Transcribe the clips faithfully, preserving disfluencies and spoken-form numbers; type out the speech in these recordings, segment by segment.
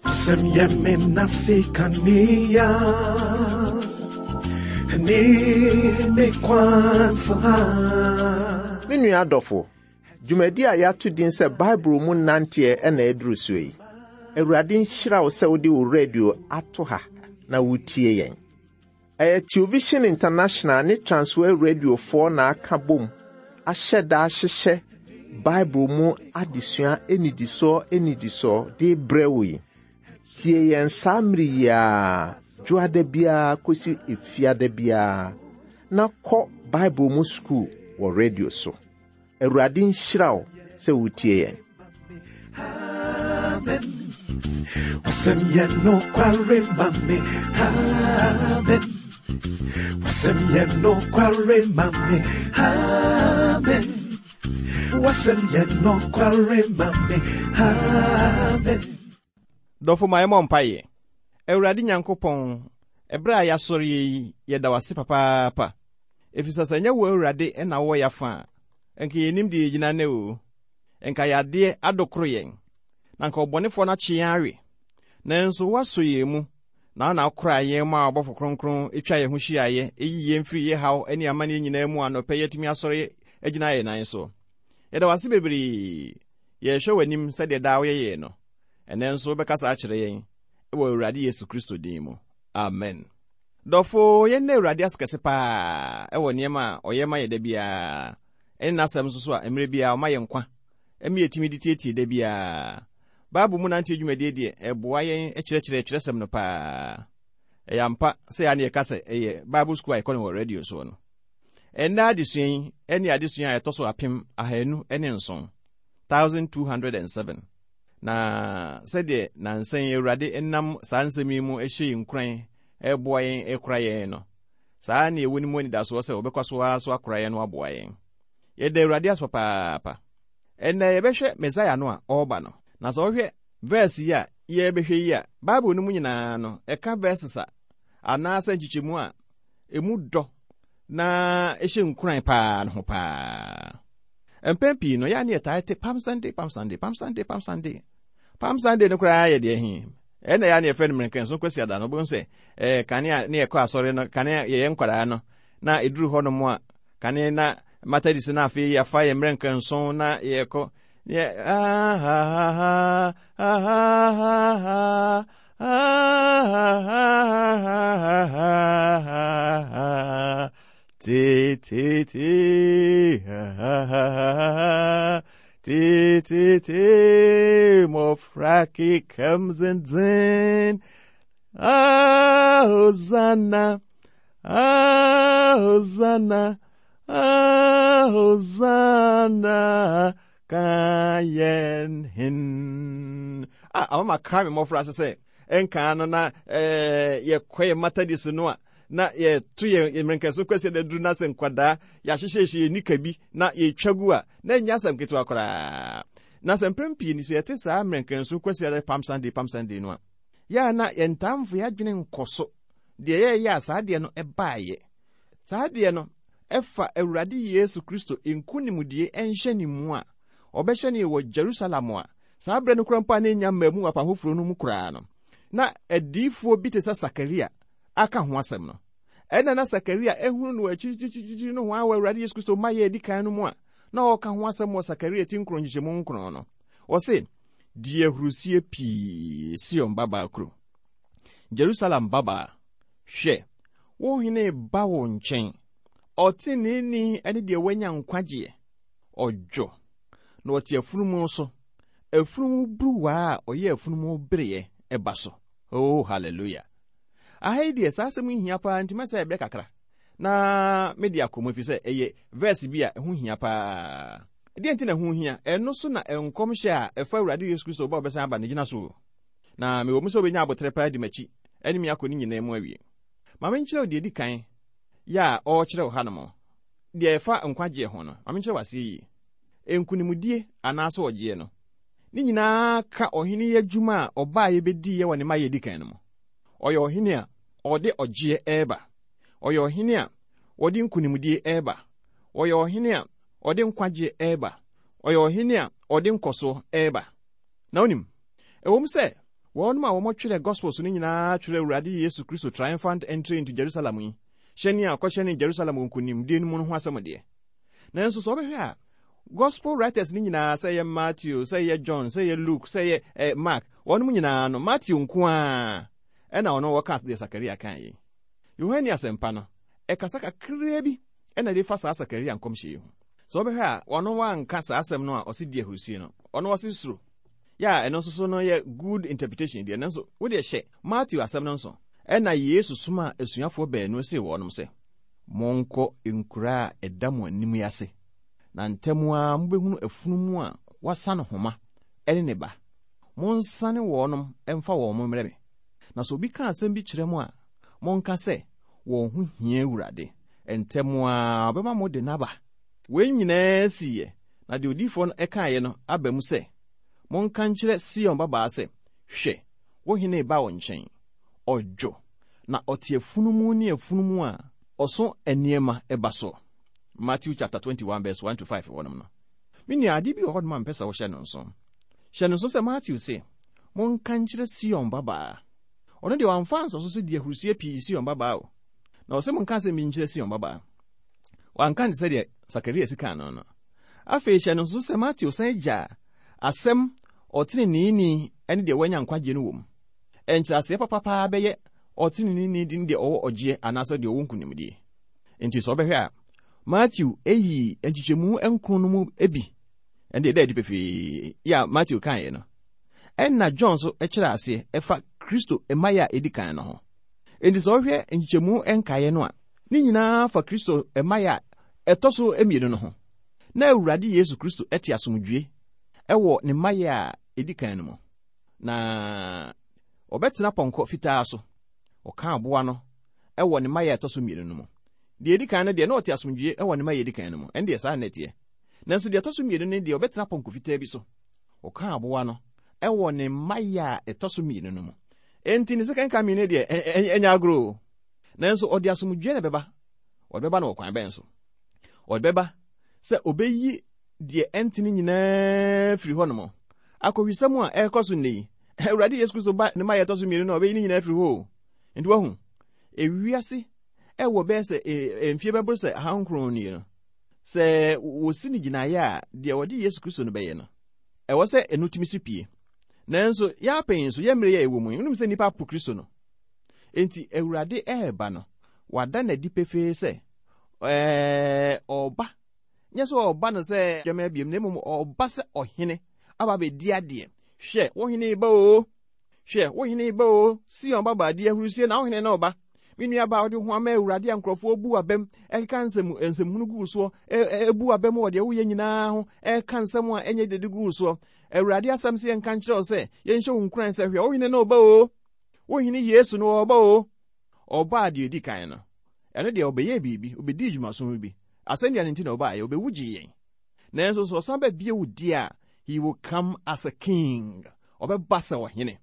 W'asɛm yɛ me nase kanea ne me kwansa. Me nua adɔfo, dwumadi a yɛato din sɛ Bible mu nanteɛ ɛna aduru so yi. Awurade nhyira wo sɛ wode wo radio ato ha na wotie yɛn. Ɛyɛ Television International ne Transworld Radiofoɔ na aka bom ahyɛ da ahyehyɛ Bible mu adesua anidisoɔ anidisoɔ de brɛ wo yi. Tie yɛn saa mmere yi ara, dwoada biara kɔsi efiada biara, na kɔ Bible mu sukuu wɔ radio so. Awurade nhyira wo sɛ wotie yɛn. Amen. W'asɛm yɛ nokware ma me. Amen. W'asɛm yɛ nokware ma me. Amen. W'asɛm yɛ nokware ma me. Amen. Dɔfo ma yɛmmɔ mpaeɛ. Awurade Nyankopɔn, ɛberɛ a yɛasɔre yi, yɛda wo ase papaapa. Ɛfiri sɛ sɛ ɛnyɛ wo Awurade na wowɔ yɛafa a, ɛnka yɛnnim deɛ yɛgyina nnɛ o. Ɛnka yɛadeɛ adokoro yɛn. Na nka ɔbɔnefoɔ no akye yɛn awe. Nanso woasɔ yɛn mu, na wo na wokora yɛn ma ɔbɔfo kronkron atwa yɛn ho hyiaeɛ, ɛyi yɛn firi yɛ haw ne amanneɛ nyinaa mu anɔpɛ yɛatumi asɔre agyina yɛn nan so. Yɛda wo ase bebree. Yɛrehwɛ w'anim sɛdeɛ daa woyɛ yɛn no. Ɛnnɛ nso wobɛkasa akyerɛ yɛn wɔ Awurade Yesu Kristo din mu. Amen. Dɔfo, yɛn Awurade ase kɛse paa ɛwɔ nneɛma a ɔyɛ ma yɛ da biara. Ɛne n'asɛm nso so a mmerɛ biara ɔma yɛn nkwa. Ɛma yɛtumi de tietie da biara. Bible mu nante dwumadie deɛ ɛboa yɛn kyerɛkyerɛ twerɛsɛm no paa. Ɛyɛ ampa sɛ yɛa ne yɛka sɛ ɛyɛ Bible school a yɛkɔ no wɔ radio soɔ no. Ɛnnɛ adesua yi ɛne adesua a ɛtɔ so apem ahanu ne nson, thousand two hundred and seven. Na sɛdeɛ nansa yi Awurade nam saa nsɛm yi mu hyɛ yɛn nkuran ɛboa yɛn ɛkora yɛn no, saa ne ɛwɔ ne mu anidasoɔ sɛ wɔbɛkɔ so ara so akora yɛn no aboa yɛn. Yɛda Awurade ase papaapa. Ɛnnɛ yɛbɛhwɛ Mesaia no a ɔreba no. Na sɛ wohwɛ verse yi a yɛbɛhwɛ yi a, Bible no mu nyinaa no, ɛka verses a anaasɛ nkyekyɛmu a emu dɔ na ɛhyɛ nkuran paa no ho paa. Mpɛn pii no, yɛa ne yɛtaa te Palm Sunday, Palm Sunday, Palm Sunday, Palm Sunday. Palm Sunday no koraa yɛ deɛ he. Ɛna yɛa ne yɛfrɛ no mmerɛnkɛnso Kwasiada no, wobɛhu sɛ ɛɛ kane a ne yɛkɔ asɔre no, kane a yɛyɛ nkwadaa no, na ɛduru hɔ nom a, kane na Methodist na afei yɛafa yɛ mmerɛnkɛnso na yɛkɔ yɛ ah ha ha ha ha ha ha ha ha ha ha te te te ha ha ha ha te te te mmɔfra kekam denden ah Hosanna, ah Hosanna, ah Hosanna ka yɛn hin. Ah, ama ma ka me mmɔfra ase sɛ ɛnkaa no na ɛɛ yɛkɔ yɛ Methodist no a na yɛto yɛn mmerɛnkɛso kwasi da duru na sɛ nkwadaa yɛahyehyɛhyɛ yɛn nika bi na yɛtwa gu a na ɛnyɛ asɛm ketewa koraa. Na sɛ mpɛn pii ni sɛ yɛte saa mmerɛnkɛnso kwasi da Palm Sunday, Palm Sunday no a, yɛa na yɛn ntamfo yɛadwene nkɔ so deɛ yɛyɛ a saa deɛ no ɛbaeɛ. Saa deɛ no ɛfa Awurade Yesu Kristo nkonimdie ɛnhyɛ ne mu a ɔbɛhyɛ ne wɔ Jerusalem a saa berɛ no koraa mpo a na ɛnya mmaa mu wɔ apam foforɔ no mu koraa no, na adiyifoɔ bi te sɛ Sakaria aka ho asɛm no. Ɛna na Sakaria ehunu no akyirikyirikyiri no ho a wɔ Awurade Yesu Kristo ma yɛ adi kan no mu a na ɔka ho asɛm wɔ Sakaria ti nkron nkyekyɛmu nkron no. Ɔse, di ahurusie pii Sion babaa kuro. Jerusalem babaa, hwɛ, wo hene ba wo nkyɛn. Ɔteneneeni ne deɛ wanya nkwagyeɛ. Ɔdwo, na ɔte afunumu so. Afunumu buruwa a ɔyɛ afunumu bereɛ ɛba so. Oh, hallelujah. Aha yi deɛ saa asɛm yi hia paa nti mɛsɛ ɛbrɛ kakra. Na mede akɔ mu ɛfiri sɛ ɛyɛ verse bi a ɛho hia paa. Deɛ nti na ɛho hia, ɛno so na nkɔmhyɛ a ɛfa Awurade Yesu Kristo ba a ɔbɛsan aba no gyina so. Na mewɔ mu sɛ wobɛnya abotrɛ paa di m'akyi ɛne me akɔ ne nyinaa mu awie. Ma menkyerɛ wo deɛ ɛdi kan yɛ a ɔrekyerɛ wo hanom. Deɛ ɛfa nkwagyeɛ ho no, ma menkyerɛ wo aseɛ yie. Nkonimdie anaasɛ ɔgyeɛ no, ne nyinaa ka ɔhene yi adwuma a ɔbaa yɛbɛdiiɛ wɔ ne mma yɛ edi kan no mu. Ɔyɛ ɔhene a ɔde ɔgyeɛ ɛreba. Ɔyɛ ɔhene a ɔde nkonimdie ɛreba. Ɔyɛ ɔhene a ɔde nkwagyeɛ ɛreba. Ɔyɛ ɔhene a ɔde nkɔsoɔ ɛreba. Na wonim, ɛwom sɛ wɔnom a wɔmɔtwerɛ Gospels no nyinaa twerɛ Awurade Yesu Kristo triumphant entry into Jerusalem yi, hyɛne a ɔkɔhyɛne Jerusalem wɔ nkonimdie no mu no ho asɛm deɛ. Nanso sɛ wobɛhwɛ a, Gospel writers no nyinaa, sɛ ɛyɛ Matthew, sɛ ɛyɛ John, sɛ ɛyɛ Luke, sɛ ɛyɛ eh, Mark, wɔnom nyinaa no, Matthew nko a ɛna ɔno wɔka deɛ Sakaria kan yi. Yohane Asɛmpa no, ɛkasa kakraa bi ɛna de fa saa Sakaria nkɔmhyɛ yi ho. Sɛ wobɛhwɛ a, ɔno wanka saa asɛm no a ɔse di ahurusie no, ɔno ɔse suro. Yɛ a ɛno nso so no yɛ good interpretation deɛ, nanso wode hyɛ Matthew asɛm no nso. Ɛna Yesu soma asuafoɔ baanu se wɔnom sɛ, monkɔ nkura a ɛda mo anim yi ase, na ntɛm a mobɛhunu afunumu a wasa no homa ɛne ne ba. Monsane wɔnom ɛmfa wɔn mo mmerɛ me. Na sɛ obi ka asɛm bi kyerɛ mo a, monka sɛ, wɔn ho hia Awurade. Ntɛm a ɔbɛma mo de n'aba. Wei nyinaa siiɛ, na deɛ odiyifoɔ no ɛkaeɛ no aba mu sɛ, monka nkyerɛ Sion babaa sɛ, hwɛ, wo hene ba wo nkyɛn. Ɔdwo, na ɔte afunumu ne afunumu a ɔso nneɛma ɛba so. Matthew chapter twenty-one verse one to five wɔnom no. Me nua, ade bi wɔ hɔ nom a mpɛ sɛ wohyɛ no nso. Hyɛ no nso sɛ Matthew se, monka nkyerɛ Sion babaa. Ɔno deɛ wamfa nsɔ so sɛ di ahurusie pii Sion babaa o. Na ɔsɛ monka asɛm bi nkyerɛ Sion babaa. Wanka nte sɛ deɛ Sakaria si kaa no no. Afei hyɛ no nso sɛ Matthew san gya asɛm ɔteneneeni ne deɛ wanya nkwagyeɛ no wɔ mu. Ɛnkyerɛaseɛ papapaa bɛyɛ ɔteneneeni de ne deɛ ɔwɔ ɔgyeɛ anaasɛ deɛ ɔwɔ nkonimdie. Nti sɛ ɔbɛhwɛ a, Matthew eyi nkyekyɛmu nkron no mu ebi, ɛnde ɛda adi pefee yɛ a Matthew kaeɛ no. Ɛnna John nso kyerɛ aseɛ ɛfa Kristo mmaeɛ a edi kan no ho. Enti sɛ ɔhwɛ nkyekyɛmu nkaeɛ no a, ne nyinaa fa Kristo mmaeɛ a ɛtɔ so mmienu no ho. Na Awurade Yesu Kristo te asomdwie ɛwɔ ne mmaeɛ a edi kan no mu. Na ɔbɛtena pɔnkɔ fitaa so. Ɔka aboa no ɛwɔ ne mmaeɛ a ɛtɔ so mmienu no mu. Deɛ edi kan no deɛ, na ɔte asomdwie ɛwɔ ne mmaeɛ a edi kan no mu. Ɛno deɛ saa na ɛteɛ. Nanso deɛ ɛtɔ so mmienu no deɛ, ɔbɛtena pɔnkɔ fitaa bi so. Ɔka aboa no ɛwɔ ne mmaeɛ a ɛtɔ so mmienu no mu. Enti ne second coming no deɛ, ɛnyɛ agorɔ o. Nanso ɔde asomdwie na ɛbɛba. Ɔde bɛba no wɔ kwan bɛn so? Ɔde bɛba sɛ ɔbɛyi deɛ ɛntene nyinaa firi hɔ nom. Akɔhwisɛm a ɛrekɔ so nnɛ yi, Awurade Yesu Kristo ba ne mmaeɛ a ɛtɔ so mmienu no, ɔbɛyi ne nyinaa firi hɔ o. Nti wahu, ewiase ɛwɔ bɛyɛ sɛ mfie bɛboro sɛ ahankron nie no, sɛ wɔsi no gyinaeɛ a, deɛ wɔde Yesu Kristo no bɛyɛ no, ɛwɔ sɛ ɛno tumi si pie. Nanso yɛapɛn nso, yɛ mmerɛ yɛ ɛwɔ mu yi, wonim sɛ nnipa apo Kristo no. Enti Awurade ɛreba no, wada n'adi pefee sɛ, ɛɛ, ɔba. Nyɛ sɛ ɔba no sɛ dwama abiem, na mmom ɔba sɛ ɔhene aba abɛdi adeɛ. Hwɛ, wo hene ba o. Hwɛ, wo hene ba o. Sion babaa di ahurusie na wo hene na ɔba. Me nua baa, wode ho ama Awurade a nkurɔfoɔ bu abam, ɛkeka nsɛm, nsɛmhunu gu soɔ, ɛbu abam wɔ deɛ woyɛ nyinaa ho, ɛka nsɛm a ɛnyɛ dede gu soɔ. Awurade asɛm sɛ yɛnka nkyerɛ wo sɛ, yɛnhyɛ wo nkuran sɛ, hwɛ, wo hene na ɔba o. Wo hene Yesu no ɔba o. Ɔbaa deɛ edi kan no, ɛno deɛ ɔbɛyɛɛ biribi, ɔbɛdii dwumaso bi. Asɛnnua no nti na ɔbaeɛ, ɔbɛwu gyee yɛn. Nanso sɛ ɔsan ba bio deɛ a, he will come as a king. Ɔbɛba sɛ ɔhene.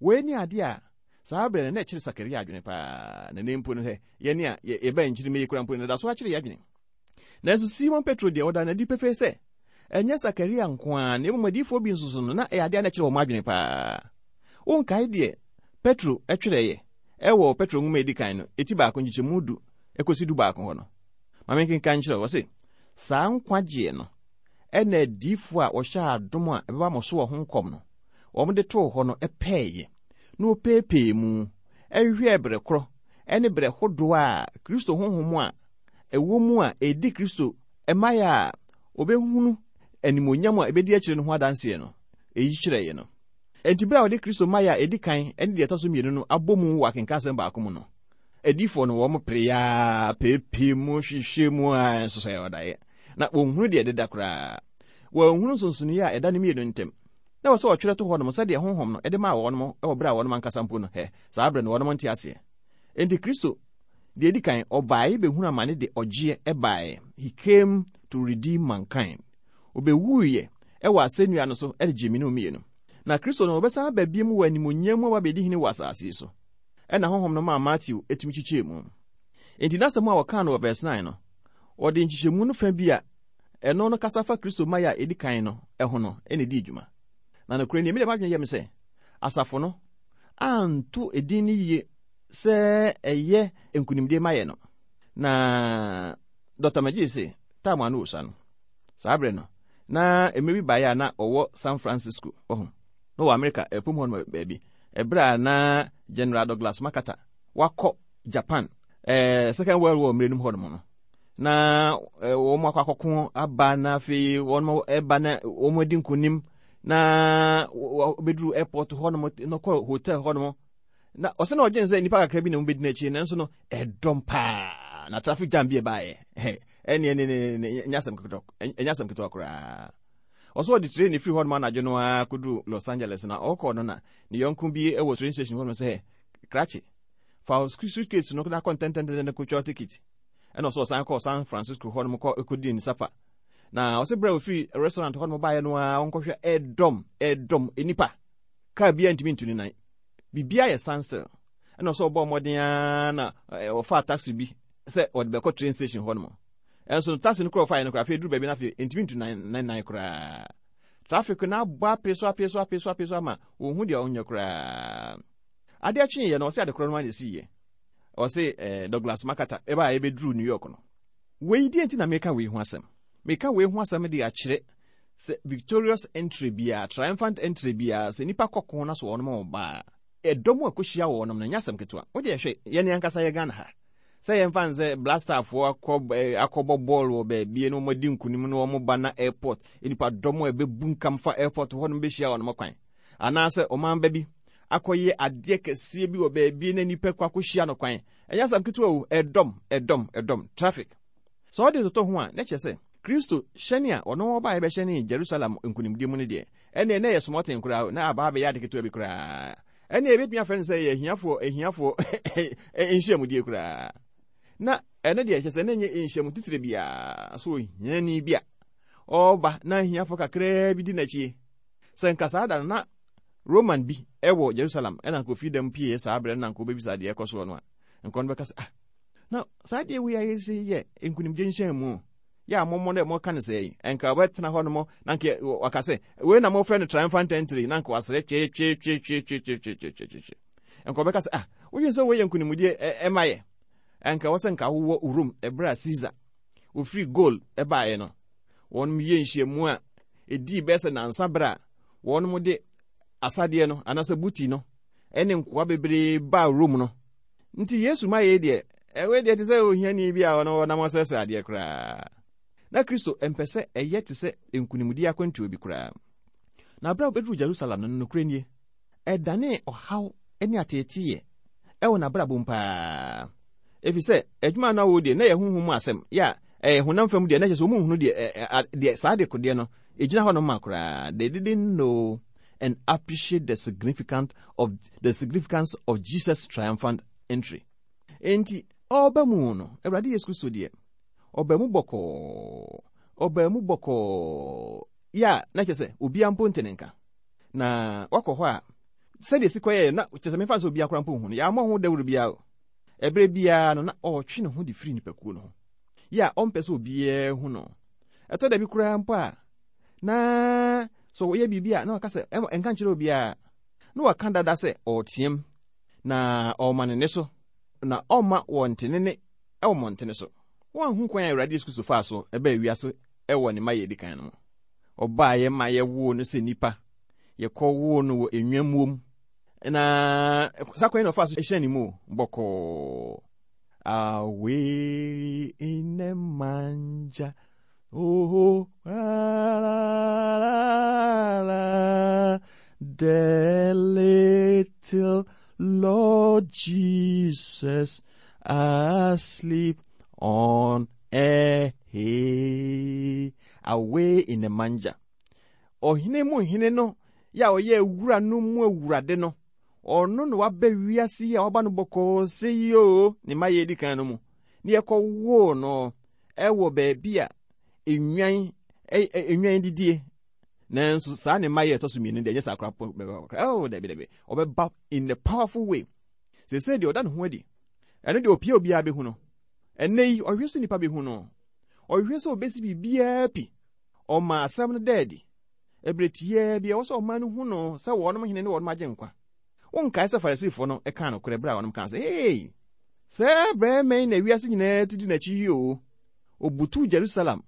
Wei ne adeɛ a saa berɛ no na ɛkyerɛ Sakaria adwene paa. Na ne mpo no hɛ, yɛne a yɛba nkyiri mɛyi kora mpo no, da so akyerɛ yɛ adwene. Nanso Simon Petro deɛ, ɔda n'adi pefee sɛ ɛnyɛ Sakaria nko ara, na mmom adiyifoɔ bi nso so no, na ɛyɛ adeɛ a na ɛkyerɛ wɔn adwene paa. Wonkae deɛ Petro twerɛeɛ ɛwɔ Petro nwoma a edi kan no, eti baako nkyekyɛmu du ekosi du baako hɔ no. Ma menkenkan nkyerɛ wo, ɔse, saa nkwagyeɛ no ɛna adiyifoɔ a wɔhyɛ adom a ɛbɛba mo so wɔ ho nkɔm no, wɔn de too hɔ no ɛpɛɛyɛ, na wɔpeepee mu, ɛhwehwɛɛ berɛ korɔ ɛne berɛ hodoɔ a Kristo honhom a ɛwɔ mu a ɛdi Kristo mmaeɛ a wɔbɛhunu animuonyam a ɛbɛdi akyire no ho adanseɛ no, ɛyi kyerɛeɛ no. Enti berɛ a wɔde Kristo mmaeɛ a ɛdi kan ne deɛ ɛtɔ so mmienu no abɔ mu wɔ akenkansɛm baako mu no, adiyifoɔ no wɔn pere peepee mu hwehwɛ mu a nso sɛ ɔdaeɛ. Na wɔnhunu deɛ ɛdeda koraa. Wɔnhunu nsonsonoeɛ a ɛda ne mmienu ntam. Na wɔ sɛ wɔtwerɛ to hɔ nom sɛdeɛ honhom no ɛde maa wɔn wɔ berɛ a wɔn ankasa mpo no, hɛ, saa berɛ no wɔn nte aseɛ. Enti Kristo deɛ ɛdi kan, ɔbaeɛ bɛhunu amane de ɔgyeɛ ɛbaeɛ. He came to redeem mankind. Ɔbɛwuiɛ ɛwɔ asɛnnua no so ɛde gyee mmienu mmienu. Na Kristo no ɔbɛsan aba bio wɔ animuonyam mu aba abɛdi hene wɔ asase yi so. Ɛna honhom no maa Matthew etumi kyekyɛɛ mu. Enti n'asɛm a wɔkaa no wɔ verse nine no, ɔde nkyekyɛmu no fa bi a Ɛno no kasa fa Kristo mmaeɛ a ɛdi kan no ɛho no ɛna ɛdi dwuma. Na nokorɛ nie, mede m'adwene yɛ me sɛ asafo no anto edin no yie sɛ ɛyɛ nkonimdie mayɛ no. Na Doctor McGee se time a no wɔ no saa berɛ no na mmerɛ bi baeɛ a na ɔwɔ San Francisco ɔho na wɔ America ɛpom hɔ no baabi, ɛberɛ a na General Douglas MacArthur wakɔ Japan eh, Second World War mmerɛ no mu hɔ nom no, na wɔn akɔ akɔko aba, na afei wɔn ɛba na wɔn adi nkonim, na wɔbɛduru airport hɔ nom na kɔ hotel hɔ nom, na ɔsɛ na ɔdwen sɛ nnipa kakra bi na wɔbɛdi n'akyi, nanso no ɛdɔm paa na traffic jam bi ɛbaeɛ. Ɛne ɛne ɛne ɛnyɛ asɛm ketewa, ɛnyɛ asɛm ketewa koraa. Ɔsɛ ɔde train firi hɔ nom anadwo no ara kɔduru Los Angeles, na ɔkɔ no na ne yɔnko bi wɔ train station hɔ nom sɛ, "Krakye, fa suitcase no na kɔ ntɛntɛntɛn kɔtwa ticket." Ɛna ɔsɛ ɔsan kɔɔ San Francisco hɔ nom kɔ kɔdii ne supper, na ɔsɛ berɛ a ofiri restaurant hɔ nom baeɛ no ara, ɔnkɔhwɛ ɛdɔm ɛdɔm nipa, kaa biara ntumi ntu ne nan, biribiara yɛ standstill. Ɛna ɔsɛ ɔbɔ mmɔden ara na ɔfaa taxi bi sɛ ɔde bɛkɔ train station hɔ nom, ɛnso taxi no korɔ ɔfaeɛ no koraa, afei duru baabi no, afei ntumi ntu nan nan nan koraa. Traffic no abɔ ape so ape so ape so ape so ama wɔnhu deɛ ɔnyɛ koraa. Adeɛ kyeeɛ no, ɔsɛ ade korɔ no ara na ɛsiiɛ. Ɔsɛ ɛɛ Douglas MacArthur ɛbaa a ɛbɛduru New York no. Wei deɛ nti na meka wei ho asɛm, meka wei ho asɛm de akyerɛ sɛ victorious entry biara, triumphant entry biara, sɛ nipa kɔko na so wɔnom ɔbaa, ɛdɔm a ɛkɔhyia wɔnom no nyɛ asɛm ketewa. Wode ɛhwɛ yɛne ankasa yɛ Ghana ha sɛ yɛmfa n sɛ Black Starfoɔ akɔ akɔbɔ bɔɔl wɔ baabi na wɔn adi nkunim na wɔn ba na airport, nipa dɔm a ɛbɛbu nkam fa airport hɔ nom bɛhyia wɔn kwan, anaasɛ ɔman ba bi akɔyɛ adeɛ kɛseɛ bi wɔ baabi na nipa kɔ akɔhyia no kwan, ɛnyɛ asɛm ketewa o. Ɛdɔm, ɛdɔm, ɛdɔm, traffic. Sɛ ɔde toto ho a, na kyerɛ sɛ Kristo hyɛne a ɔno ɔbaa yɛbɛhyɛne Jerusalem nkonimdie mu no deɛ, ɛne ɛnɛ yɛ smɔten koraa na aba abɛyɛ ade ketewa bi koraa. Ɛne ɛbɛtumi afrɛ no sɛ yɛ ahiafoɔ ahiafoɔ nhyiamudie koraa, na ɛno deɛ kyerɛ sɛ ne nyɛ nhyiamu titire biara so. Ohiani bi a ɔreba na ahiafoɔ kakraa bi di n'akyi, sɛ nka saa da no na Roman bi ɛwɔ Jerusalem ɛna nka ofi dɛm pie saa berɛ no na nka wobɛbisa deɛ ɛkɔ soɔ no a, nka ɔno bɛka sɛ, "Ah, na saa deɛ wei ayɛ sɛ yɛ nkonimdie nhyɛn mu yɛ a mɔmmɔ no mɔka no sɛ yi." Ɛnka wɔbɛtena hɔ nom na nka waka sɛ, "Wei na mɔfrɛ no triumphant entry," na nka wasrɛ twetwetwetwetwetwetwetwe. Nka wɔbɛka sɛ, "Ah, wodwen sɛ wei yɛ nkonimdie ɛma yɛ?" Ɛnka wɔ sɛ nka wowɔ Rome ɛberɛ a Caesar ofiri Gaul ɛbaeɛ no, wɔnom yɛ nhyiamu a ɛdii bɛyɛ sɛ nansa berɛ a wɔnom de asadeɛ no anaasɛ booty no ɛne nkoa bebree baa Rome no. Nti Yesu ma yɛ deɛ, ɛwei deɛ te sɛ ohiani bi a ɔno ɔnam ɔsrɛsrɛ adeɛ koraa. Na Kristo mpɛ sɛ ɛyɛ te sɛ nkonimdie akwantuo bi koraa. Na berɛ a wobɛduru Jerusalem no, nokorɛ nie, ɛdane ɔhaw ne ateeteeɛ ɛwɔ n'abrabɔ mu paa, ɛfiri sɛ adwuma no a wɔwɔ deɛ na yɛ honhom mu asɛm yɛ a ɛyɛ honam fam deɛ, na kyerɛ sɛ wɔn nhunu deɛ deɛ saa de kodeɛ no ɛgyina hɔ no ma koraa. They didn't know and appreciate the significance of the significance of Jesus' triumphant entry. Enti ɔba mu no, Awurade Yesu Kristo deɛ, ɔba mu bɔkɔɔ, ɔba mu bɔkɔɔ yɛ a na kyerɛ sɛ obiara mpo nte ne nka. Na wakɔ hɔ a, sɛdeɛ si kɔyɛɛ na kyerɛ sɛ mefa sɛ obiara koraa mpo nhu no, yɛammɔ ho dawuro biara o. Ɛberɛ biara no na ɔretwe ne ho de firi nipakuo no ho yɛ a ɔmpɛ sɛ obiara hu no. Ɛtɔ da bi koraa mpo a, na sɛ ɔyɛ biribi a, na waka sɛ ɛnka nkyerɛ obiara, na waka dada sɛ ɔreteam na ɔrema ne ne so na ɔmma wɔnte ne ne ɛwɔ mmɔntene so. Wɔanhu kwan a Awurade Yesu Kristo faa so ɛbɛɛ wiase ɛwɔ ne ma yɛ edi kan no mu. Ɔbaeɛ ma yɛwoo no sɛ nipa, yɛkɔwoo no wɔ enwammuo mu, na saa kwan yi na ɔfaa so hyɛn ne mu bɔkɔɔ. Away in a manger, oh, la, la, la, la, the little Lord Jesus asleep on a hay. Away in a manger. Ɔhene mu hene no yɛ a ɔyɛ awura no mu awurade no, ɔno na waba wiase yi a waba no bɔkɔɔ sɛ yi o, ne mma yɛ edi kan no mu ne yɛkɔwoo no ɛwɔ baabi a enwan enwan didie. Nanso saa ne mma yɛ ɛtɔ so mmienu deɛ, ɛnyɛ saa koraa. Oh, dabi dabi, ɔbɛba in a powerful way. Sese deɛ ɔda ne ho adi, ɛno deɛ opie obiara bɛhu no. Ɛnɛ yi ɔhwɛ so nipa bɛhu no. Ɔhwehwɛ sɛ obesi biribiara pi. Ɔma asɛm no da adi. Ɛberɛ tiaa bi ɛwɔ sɛ ɔman no hu no sɛ wɔnom hene ne wɔnom agye nkwa. Wonkae sɛ Farisifoɔ no ɛkaa nokorɛ berɛ a wɔnom kaa sɛ, "Hey, sɛ barima yi na wiase nyinaa tu di n'akyi yi o." Obutuu Jerusalem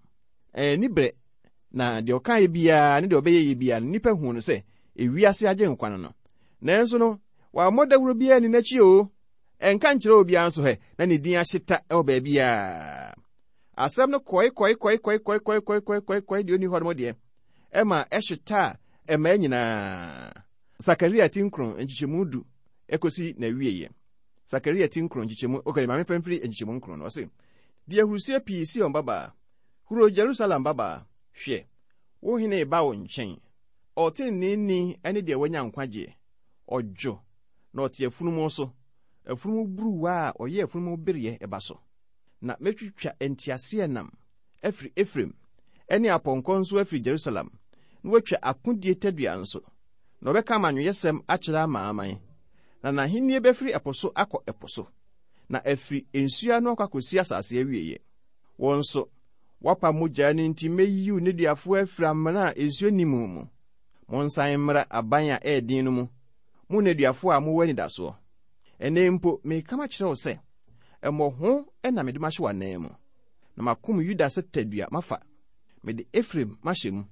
ani berɛ, na deɛ ɔkaeɛ biara ne deɛ ɔbɛyɛ yɛ biara no, nnipa hu no sɛ ewiase agye nkwa no no. Nanso no, wammɔ dawuro biara ni n'akyi o. Ɛnka nkyerɛ obiara nso hɛ, na ne din ahyeta ɛwɔ baabiara. Asɛm no kɔe kɔe kɔe kɔe kɔe kɔe kɔe kɔe kɔe kɔe deɛ ɔni hɔ nom deɛ, ɛma ɛhyeta a ɛmaa nyinaa. Sakaria ti nkron nkyekyɛmu du ɛkɔsi n'awieeɛ. Sakaria ti nkron nkyekyɛmu, okay, maame fɛn firi nkyekyɛmu nkron no, ɔse, "Di ahurusie pii Sion babaa, huro Jerusalem babaa, hwɛ, wo hene ba wo nkyɛn. Ɔteneneeni ne deɛ wanya nkwagyeɛ. Ɔdwo, na ɔte afunumu so, afunumu buruwa a ɔyɛ afunumu bereɛ ɛba so. Na mɛtwitwa nteaseɛnam afiri Efraim, ɛne apɔnkɔ nso afiri Jerusalem, na watwa akodie tadua nso. Na ɔbɛka amanyɔsɛm akyerɛ amanaman. Na n'ahennie bɛfiri ɛpo so akɔ ɛpo so, na afiri nsuo ano akɔ akɔsi asase awieeɛ. Wɔn nso, wapa mogya no nti mɛyi wo nneduafoɔ afiri amena a nsuo nni mu mu. Monsan mmra aban a ɛyɛ den no mu, mo nneduafoɔ a mowɔ anidasoɔ. Ɛnnɛ mpo mereka makyerɛ wo sɛ, ɛmmɔho na mede mahyɛ w'anan mu. Na makom Yuda sɛ tadua mafa. Mede Efraim mahyɛ mu.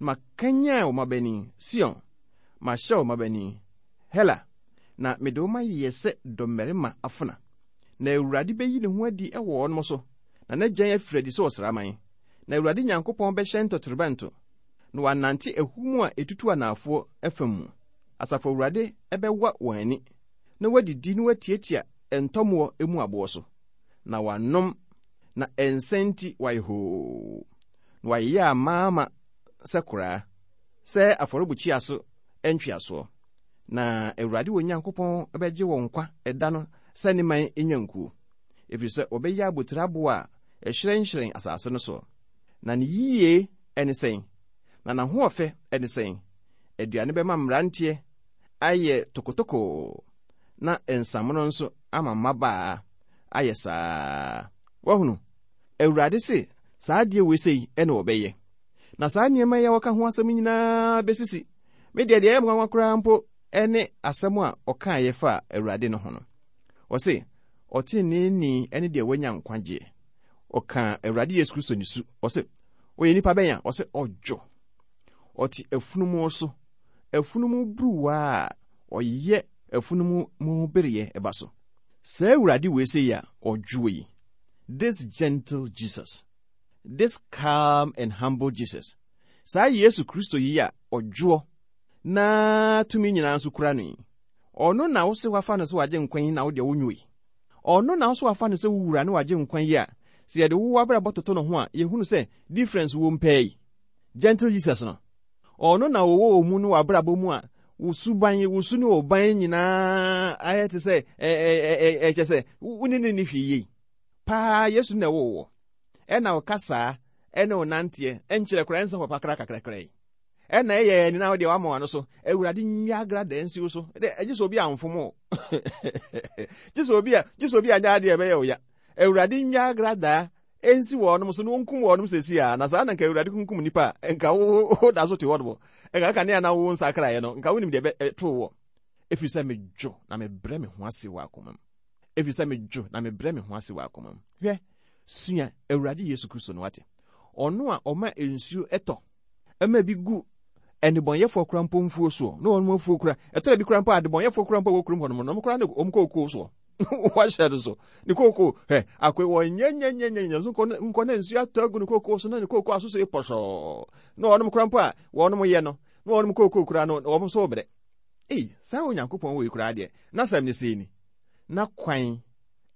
Na makanyan wo mmabanin, Sion, mahyɛ wo mmabanin, Hela, na mede wo mayɛ sɛ dɔmmarima afena. Na Awurade bɛyi ne ho adi wɔ wɔn so, na n'agyan afiri adi sɛ ɔsraman. Na Awurade Nyankopɔn bɛhyɛn totorobɛnto, na wanante ahum a etutu anaafoɔ fam mu. Asafo Awurade bɛwa wɔn ani, na wadidi na watiatia ntɔmmoɔ mu aboɔ so, na wanom, na nsa nti wayɛ hoo, na wayeyɛ amaama sɛ koraa, sɛ afɔrebukyia so ntweasoɔ. Na Awurade wɔ Nyankopɔn bɛgye wɔn nkwa ɛda no sɛ ne man nnwankuo, ɛfiri sɛ ɔbɛyɛ abotire aboɔ a ɛhyerɛnhyerɛn asase no soɔ. Na ne yie ne sɛn, na n'ahoɔfɛ ne sɛn. Aduane bɛma mmeranteɛ ayɛ tokotokoo, na nsamono nso ama mmabaa ayɛ saa. Wahunu, Awurade se saa adeɛ wei sei ɛna ɔbɛyɛ. Na saa nneɛma yi a wɔka ho asɛm nyinaa bɛsisi. Me deɛ deɛ ɛyɛ nwanwa koraa mpo ɛne asɛm a ɔkaeɛ fa Awurade no ho no. Ɔse, ɔteneneeni ne deɛ wanya nkwagyeɛ. Ɔka Awurade Yesu Kristo ne su. Ɔse, ɔyɛ nipa bɛn a? Ɔse, ɔdwo. Ɔte afunumu so. Afunumu buruwa a ɔyɛ afunumu mu bereɛ ɛba so. Saa Awurade wei sei a ɔdwo yi, this gentle Jesus, this calm and humble Jesus, saa Yesu Kristo yi a ɔdwoɔ na tumi nyinaa nso kura no yi, ɔno na wo se wafa no sɛ wagye nkwa yi na wo deɛ wonwo yi. Ɔno na wo so wafa no sɛ wowura ne wagye nkwa yi a, sɛ yɛde wo abrabɔ toto no ho a, yɛhunu sɛ difference wɔ mpɛɛ yi. Gentle Jesus no, ɔno na wɔwɔ wɔ mu no w'abrabɔ mu a, wo suban, wo su ne wo ban nyinaa ayɛ te sɛ ɛkyɛ sɛ wo ne ne ne hwee yie. Paa Yesu na ɛwɔ wɔ. Ɛna wo kasaa, ɛne wo nanteɛ, ɛnkyerɛ koraa ɛnsɛ papa kra kakrakra yi. Ɛna ɛyɛ ɛni na wo deɛ wama w'ano so. Awurade nwa agra da nsi wo so. Ɛdɛ ɛgye sɛ obi amfom o. Gye sɛ obi a, gye sɛ obi anya adeɛ ɛbɛyɛ wo ya. Awurade nwa agra da ensi wɔnom so na wɔnkum wɔnom sɛsi a, na saa na nka Awurade kunkum nipa a, nka wo wo da so te hɔ nom. Nka kanea na wo nsakraeɛ no, nka wonim deɛ ɛbɛto wɔ. Ɛfiri sɛ medwo na mebrɛ me ho ase wɔ akoma mu. Ɛfiri sɛ medwo na mebrɛ me ho ase wɔ akoma mu. Hwɛ, sua Awurade Yesu Kristo no wate. Ɔno a ɔma nsuo ɛtɔ, ɛma bi gu ɛnebɔnyɛfoɔ kora mpo mfuo soɔ, na wɔn afuo kora, ɛtɔrɔ bi kora mpo adebɔnyɛfoɔ kora mpo wɔ kurom hɔ nom, na wɔn kora ne wɔn kookoo soɔ. Wahyɛ no so. Ne kookoo, hɛ, akɔe wɔ nyɛ nyɛ nyɛ nyɛ nyɛ so nkɔ nkɔ na nsuo atɔ agu ne kookoo so na ne kookoo aso so pɔsɔɔ. Na wɔn kora mpo a wɔn yɛ no, na wɔn kookoo kora no, wɔn nso brɛ. Ei, saa Onyankopɔn wɔ yi koraa deɛ, n'asɛm ne sei ni. Na kwan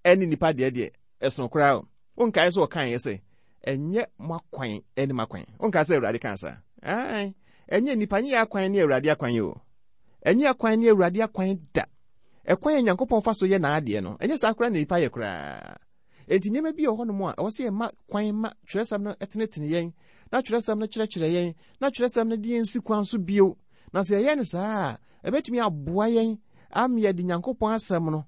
ɛne nipa deɛ deɛ ɛsono koraa o. Wonkae sɛ ɔkaeɛ sɛ, ɛnyɛ mo akwan ɛne m'akwan. Wonkae sɛ Awurade kaa saa? Ae, ɛnyɛ nipa nyɛ akwan ne Awurade akwan yi o. Ɛnyɛ akwan ne Awurade akwan da. Ɛkwan a Nyankopɔn fa so yɛ n'adeɛ no, ɛnyɛ saa koraa na nipa yɛ koraa. Enti nneɛma bi wɔ hɔnom a ɛwɔ sɛ yɛma kwan ma twerɛsɛm no tenetene yɛn, na twerɛsɛm no kyerɛkyerɛ yɛn, na twerɛsɛm no de yɛn si kwan so bio. Na sɛ yɛyɛ no saa a, ɛbɛtumi aboa yɛn ama yɛde Nyankopɔn asɛm no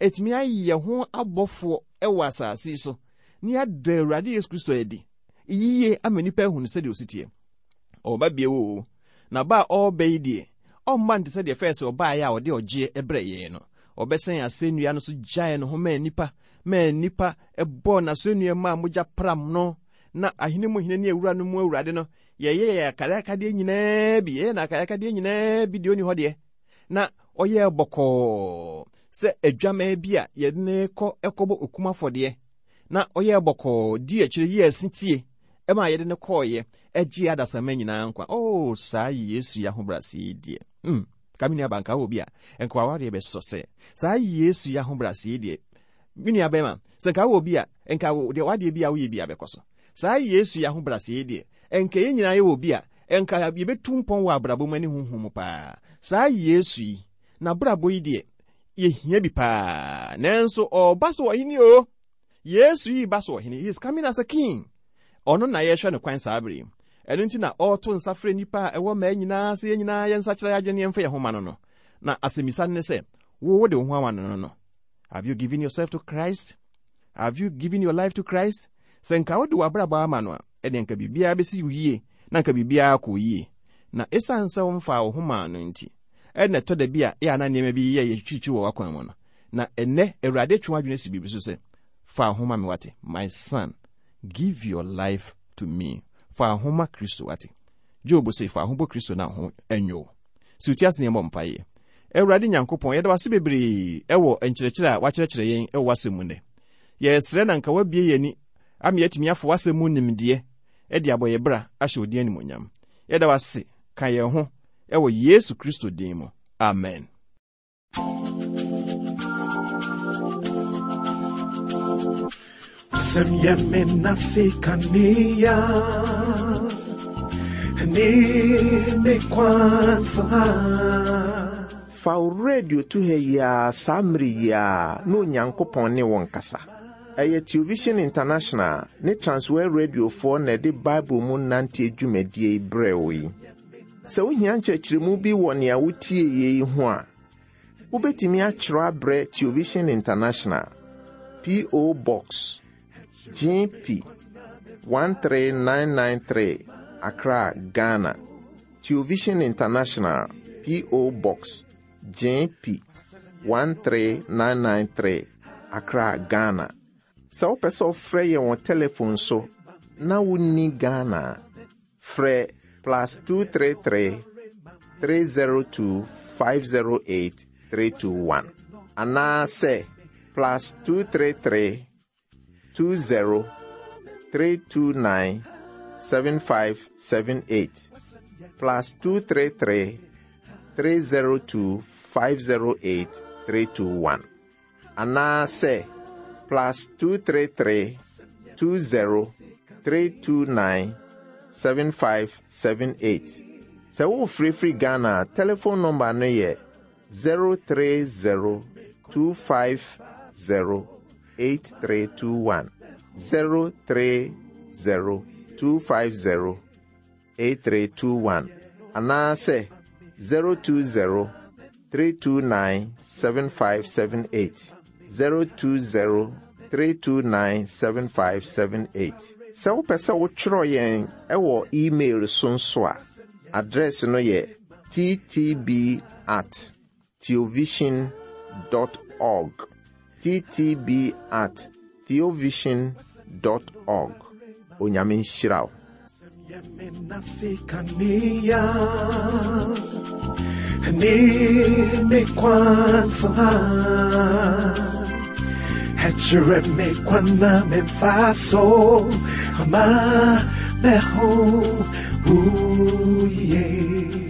ɛtumi ayɛ ho abɔfoɔ ɛwɔ asase yi so, na yɛada Awurade Yesu Kristo adi. Yie ama nnipa ahunu sɛdeɛ ɔsi teɛ. Ɔba bio o, na ba a ɔreba yi deɛ, ɔmma nte sɛ deɛ fɛɛ sɛ ɔbaeɛ a ɔde ɔgyeɛ brɛ yɛn no. Ɔbɛsɛn asɛnnua no so gyae ne ho maa nnipa, maa nnipa bɔɔ n'asɛnnua mu a mogya pram no, na ahene mu hene ne awura no mu awurade no, yɛyɛ yɛn akayakadeɛ nyinaa bi, yɛyɛ n'akayakadeɛ nyinaa bi deɛ ɔni hɔ deɛ. Na ɔyɛɛ bɔkɔɔ sɛ adwamaa bi a yɛde no kɔ kɔbɔ okum afɔdeɛ, na ɔyɛɛ bɔkɔɔ di akyire yi ɛse tie ɛma yɛde no kɔɔeɛ ɛgye adasamma nyinaa nkwa. Oh, saa Yesu yi ahobrɛaseɛ yi deɛ, hmm, ka me nua ba, nka wɔ bi a nka wawareɛ bɛsɔ sɛ saa Yesu yi ahobrɛaseɛ yi deɛ, me nua bɛrima, sɛ nka wɔ bi a nka deɛ wadeɛ bi a woyɛ bi a bɛkɔ so. Saa Yesu yi ahobrɛaseɛ yi deɛ, nka yɛn nyinaa yɛwɔ bi a nka yɛbɛtu mpɔn wɔ abrabɔ mu ne honhom mu paa. Saa Yesu yi n'abrabɔ yi deɛ, yɛhia bi paa. Nanso ɔba so ɔhene o. Yesu yi ba so ɔhene. He is coming as a king. Ɔno na yɛhwɛ no kwan saa bere yi. Ɛno nti na ɔreto nsa frɛ nnipa a ɛwɔ mmaa nyinaa sɛ yɛn nyinaa yɛn nsa kyerɛ yɛn adwene yɛmfa yɛn ho ma no no. Na asɛmmisa no ne sɛ, wo wode wo ho ama no no? Have you given yourself to Christ? Have you given your life to Christ? Sɛ nka wode w'abrabɔ ama no a, ɛdeɛ nka biribiara bɛsi wo yie, na nka biribiara kɔ yie. Na ɛsiane sɛ womfaa wo ho maa no nti, ɛna ɛtɔ da bi a ɛyɛ ana nneɛma bi yɛ yɛtwitwi wɔ w'akwan mu no. Na ɛnnɛ, Awurade twe w'adwene si biribi so sɛ, fa wo ho ma me wate, my son, give your life to me. Fa wo ho ma Kristo wate. Job se, fa wo ho bɔ Kristo na ho ɛnwo. Si wo ti ase na yɛmmɔ mpaeɛ. Awurade Nyankopɔn, yɛda wase bebree ɛwɔ nkyerɛkyerɛ a wakyerɛkyerɛ yɛn ɛwɔ w'asɛm mu nnɛ. Yɛsrɛ na nka wabie yɛn ani ama yɛatumi afa w'asɛm mu nimdeɛ de abɔ yɛ bra ahyɛ wo din animuonyam. Yɛda wase ka yɛn ho ɛwɔ Yesu Kristo din mu. Amen. Wasɛm yɛ me nase kanea ne me kwansa. Fa wo radio to ha yi ara saa mmere yi ara na Onyankopɔn ne wo nkasa. Ɛyɛ Television International ne Transworld Radiofoɔ na ɛde Bible mu nanteɛ dwumadie yi brɛɛ wo yi. Sɛ wohia nkyerɛkyerɛmu bi wɔ nea wotie yi ho a, wobɛtumi akyerɛw abrɛ Television International, P O. Box G P one three nine nine three, Accra, Ghana. Television International, P O. Box G P one three nine nine three, Accra, Ghana. Sɛ wopɛ sɛ wofrɛ yɛn wɔ telephone so na wonni Ghana a, frɛ plus two three three, three zero two, five zero eight, three two one. Anaasɛ plus two three three, two zero, three two nine, seven five seven eight. Plus two three three, three zero two, five zero eight, three two one. Anaasɛ plus two three three, two zero, three two nine, seven five seven eight. Sɛ wofirifiri Ghana a, telephone number no yɛ zero three zero, two five zero, eight three two one. zero three zero, two five zero, eight three two one. Anaasɛ zero two zero, three two nine, seven five seven eight. zero two zero, three two nine, seven five seven eight. Sɛ wopɛ sɛ wotwerɛ yɛn ɛwɔ email so nso a, address no yɛ t t b at theovision dot org. t t b at theovision dot org. Onyame nhyira wo. Ne me kwansa. Ɛkyerɛ me kwan na memfa so ama me ho yie.